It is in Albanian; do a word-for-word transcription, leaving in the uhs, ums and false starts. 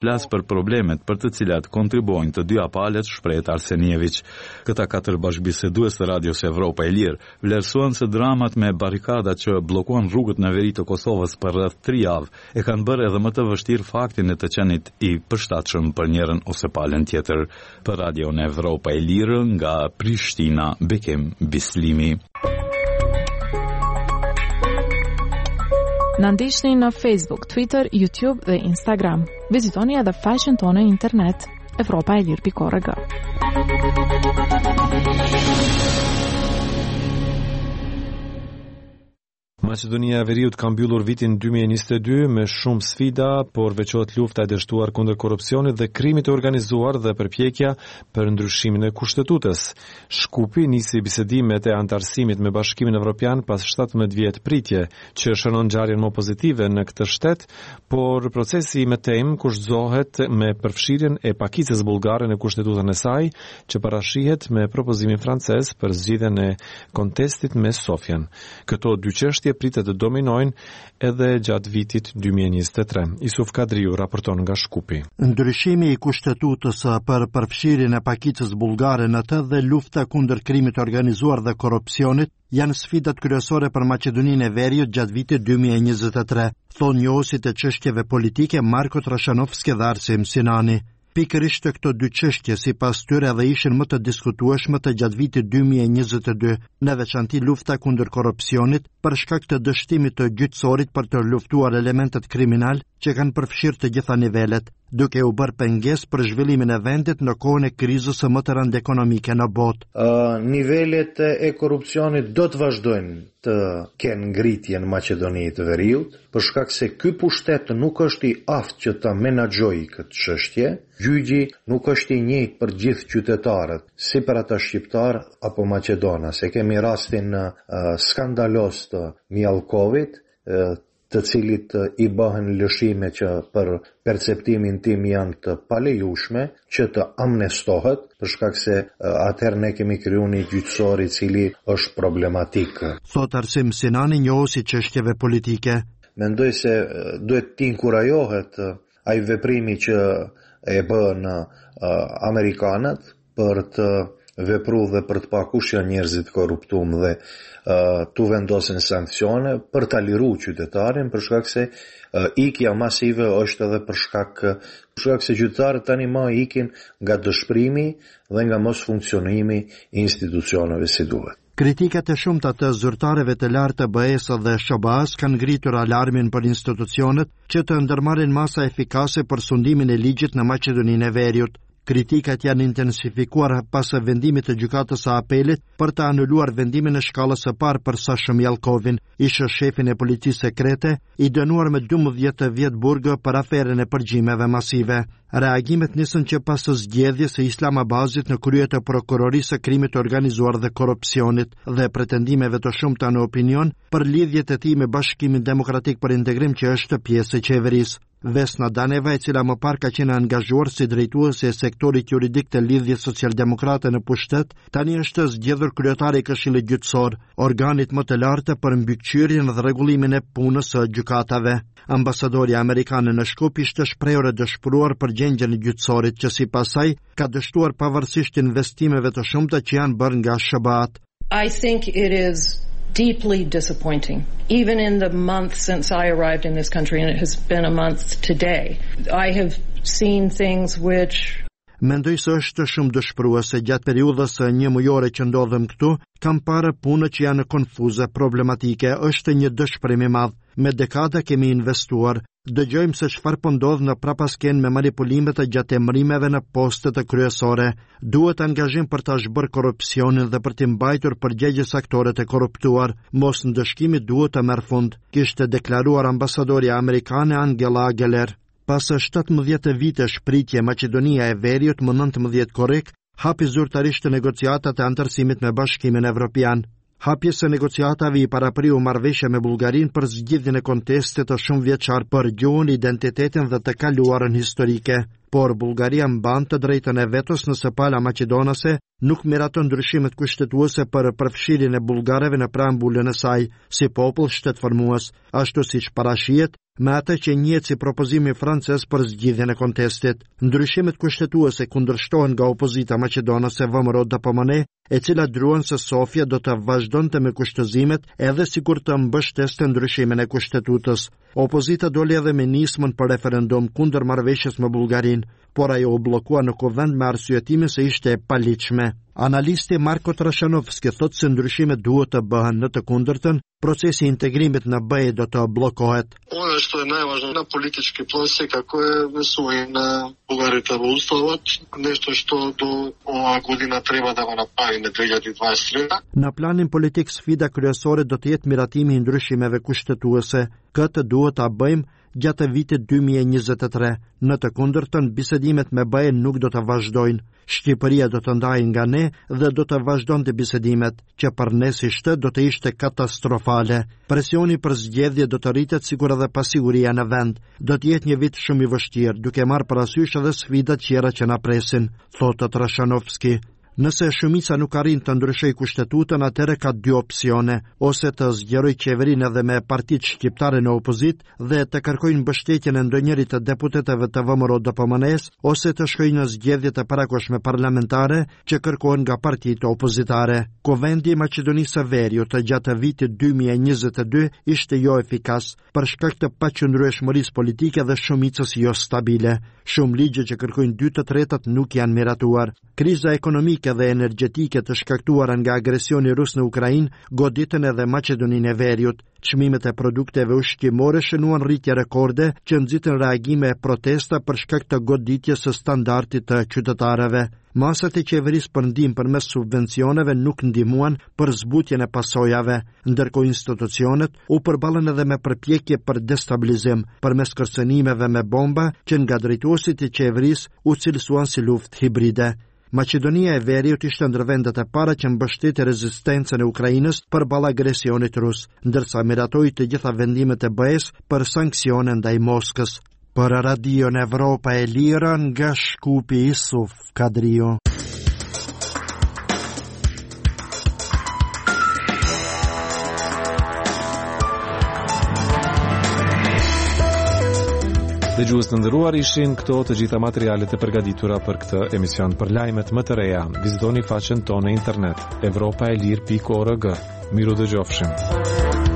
Flas për problemet për të cilat kontribuojnë të dyja palët, shprehet Arsenijević. Këta katër bashkëbisedues të Radios Evropa e Lirë vlerësuan se dramat me barrikadat që bllokuan rrugët në veri të Kosovës për rreth tri javë e kanë bërë edhe më të vështirë faktin e të qenit i përshtatshëm për njërën ose palën tjetër. Për Radion Evropa e Lirë nga Prishtina, Bekim Bislimi. Na ndiqni në Facebook, Twitter, YouTube dhe Instagram. Vizitoni edhe faqen tonë në internet evropaelir pikë org. Maqedonia e Veriut ka mbyllur vitin dy mijë e njëzet e dy me shumë sfida, por veçohet lufta e dështuar kundër korrupsionit dhe krimit të organizuar dhe përpjekja për ndryshimin e kushtetutës. Shkupi nisi bisedimet e anëtarësimit me Bashkimin Evropian pas shtatëmbëdhjetë vjet pritje, që shënon ngjarjen më pozitive në këtë shtet, por procesi i mëtejmë kushtëzohet me përfshirjen e pakicës bullgare në kushtetutën e saj, që parashihet me propozimin francez për zgjidhjen e kontestit me Sofjen. Këto dy çështje pritet të dominojnë edhe gjatë vitit dy mijë e njëzet e tre. Isuf Kadriu raporton nga Shkupi. Ndryshimi i kushtetutës për përfshirjen e pakicës bullgare në të dhe lufta kundër krimit të organizuar dhe korrupsionit janë sfidat kryesore për Maqedoninë e Veriut gjatë vitit dy mijë e njëzet e tre, thonë njohësit e çështjeve politike Marko Trashanovski dhe Arsim Sinani. Pikërisht këto dy çështje sipas tyre edhe ishin më të diskutueshme të gjatë vitit dy mijë e njëzet e dy, në veçanti lufta kundër korrupsionit për shkak të dështimit të gjyqësorit për të luftuar elementët kriminal që kanë përfshirë të gjitha nivelet, duke u bërë pengesë për zhvillimin e vendit në kohën e krizës së më të rëndë ekonomike në botë. Ë, nivelet e korrupsionit do të vazhdojnë të kenë ngritje në Maqedoni të Veriut, për shkak se ky pushtet nuk është i aftë që ta menaxhojë këtë çështje. Gjyqi nuk është i njëjtë për gjithë qytetarët, si për ata shqiptar apo maqedonas. E kemi rastin, ë, skandalos të Mijallkovit, ë, të cilit i bëhen lëshime që për perceptimin tim janë të palejushme, që të amnestohet, për shkak se, ë, atëherë ne kemi krijuar një gjyqësor i cili është problematik. Thot Arsim Sinani, njohës i çështjeve politike. Mendoj se, ë, duhet të inkurajohet, ë, ai veprimi që e bën, ë, amerikanët për të vepru dhe për të pa kush janë njerëzit korruptum dhe, ë, tu vendosin sanksione për ta liru qytetarin, për shkak se, ë, ikja masive është edhe për shkak, për shkak se qytetarët tani më ikin nga dëshpërimi dhe nga mosfunksionimi i institucioneve si duhet. Kritikat e shumta të zyrtarëve të lartë të B E-së dhe S H B A-s kanë ngritur alarmin për institucionet që të ndërmarrin masa efikase për sundimin e ligjit në Maqedoninë e Veriut. Kritikat janë intensifikuar pas vendimit të gjykatës së apelit për të anuluar vendimin e shkallës së parë për Sasho Mijallkovin, ish shefin e policisë sekrete, i dënuar me dymbëdhjetë vjet burg për aferën e përgjimeve masive. Reagimet nisën që pas zgjedhjes së Islam Abazit në krye të prokurorisë së krimit të organizuar dhe korrupsionit dhe pretendimeve të shumta në opinion për lidhjet e tij me Bashkimin Demokratik për Integrim që është pjesë e qeverisë. Vesna Daneva, e cila më parë ka qenë angazhuar si drejtuese e sektorit juridik të Lidhjes Socialdemokrate në pushtet, tani është zgjedhur kryetari i Këshillit Gjyqësor, organit më të lartë për mbikëqyrjen dhe rregullimin e punës së gjykatave. Ambasadori amerikan në Shkup ishte shprehur e dëshpëruar për gjendjen e gjyqësorit që sipas saj ka dështuar pavarësisht investimeve të shumta që janë bërë nga S H B A-t. I think it is deeply disappointing. Even in the month since I arrived in this country, and it has been a month today, I have seen things which Mendoj se është shumë dëshpëruese gjatë periudhës së një mujore që ndodhem këtu, kam parë punë që janë konfuze, problematike, është një dëshpërim i madh. Me dekada kemi investuar. Dëgjojmë se çfarë po ndodh në prapasken me manipulimet e gjatë emërimeve në postet e kryesore. Duhet angazhim për ta zhbërë korrupsionin dhe për t'i mbajtur përgjegjës aktorët e korruptuar. Mos ndëshkimi duhet të merr fund, kishte deklaruar ambasadorja amerikane Angela Ageler. Pas shtatëmbëdhjetë vitesh pritje, Maqedonia e Veriut më nëntëmbëdhjetë korrik hapi zyrtarisht negociatat e anëtarësimit me Bashkimin Evropian. Hapjes së negociatave i parapriu marrëveshja me Bullgarinë për zgjidhjen e kontestit të shumëvjeçar për gjuhën, identitetin dhe të kaluarën historike. Por Bullgaria mban të drejtën e vetos nëse pala maqedonase nuk miraton ndryshimet kushtetuese për përfshirjen e bullgarëve në preambulën e saj si popull shtetformues, ashtu siç parashihet me atë që njihet si propozimi francez për zgjidhjen e kontestit. Ndryshimet kushtetuese kundërshtohen nga opozita maqedonase V M R O D P M N E, e cila druan se Sofja do të vazhdonte me kushtëzimet edhe sikur të mbështeste ndryshimin e kushtetutës. Opozita doli edhe me nismën për referendum kundër marrëveshjes me Bullgarinë, por ajo u bllokua në kuvend me arsyetimin se ishte e paligjshme. Analisti Marko Trashanovski thotë se ndryshimet duhet të bëhen, në të kundërtën, procesi i integrimit në B E do të bllokohet. Ono što je najvažnije na politički plan секако е внесување на бугарите во Уставот, нешто што до оваа година треба да го направиме две иляди дваесет и трета. Në planin politik sfida kryesore do të jetë miratimi i ndryshimeve kushtetuese. Këtë duhet ta bëjmë gjatë vitit dy mijë e njëzet e tre. Në të kundërtën, bisedimet me B E nuk do të vazhdojnë. Shqipëria do të ndajë nga ne dhe do të vazhdonte bisedimet, që për ne si shtet do të ishte katastrofale. Presioni për zgjedhje do të rritet, sikur edhe pasiguria në vend. Do të jetë një vit shumë i vështirë, duke marrë parasysh edhe sfidat tjera që na presin, thotë Trashanovski. Nëse shumica nuk arrin të ndryshojë kushtetutën, atëherë ka dy opsione: ose të zgjerojë qeverinë edhe me partitë shqiptare në opozitë dhe të kërkojnë mbështetjen e ndonjërit të deputetëve të V M R O D P M N E-s, ose të shkojnë në zgjedhjet e parakohshme parlamentare që kërkohen nga partitë opozitare. Kuvendi i Maqedonisë së Veriut gjatë vitit dy mijë e njëzet e dy ishte jo efikas për shkak të paqëndrueshmërisë politike dhe shumicës jo stabile. Shumë ligje që kërkojnë dy të tretat nuk janë miratuar. Kriza ekonomike dhe energjetike të shkaktuara nga agresioni rus në Ukrainë goditën edhe Maqedoninë e Veriut. Çmimet e produkteve ushqimore shënuan rritje rekorde që nxitën reagime e protesta për shkak të goditjes së standardit të qytetarëve. Masat e qeverisë për ndihmë përmes subvencioneve nuk ndihmuan për zbutjen e pasojave, ndërkohë institucionet u përballën edhe me përpjekje për destabilizim përmes kërcënimeve me bomba që nga drejtuesit e qeverisë u cilësuan si luftë hibride. Maqedonia e Veriut ishte ndër vendet e para që mbështeti rezistencën e Ukrainës përballë agresionit rus, ndërsa miratoi të gjitha vendimet e B E-s për sanksione ndaj Moskës. Për Radion Evropa e Lirë nga Shkupi, Isuf Kadriu. Dëgjues të nderuar, ishin këto të gjitha materialet e përgatitura për këtë emision. Për lajmet më të reja, vizitoni faqen tonë në internet evropaelir pikë org. Miru dëgjofshim.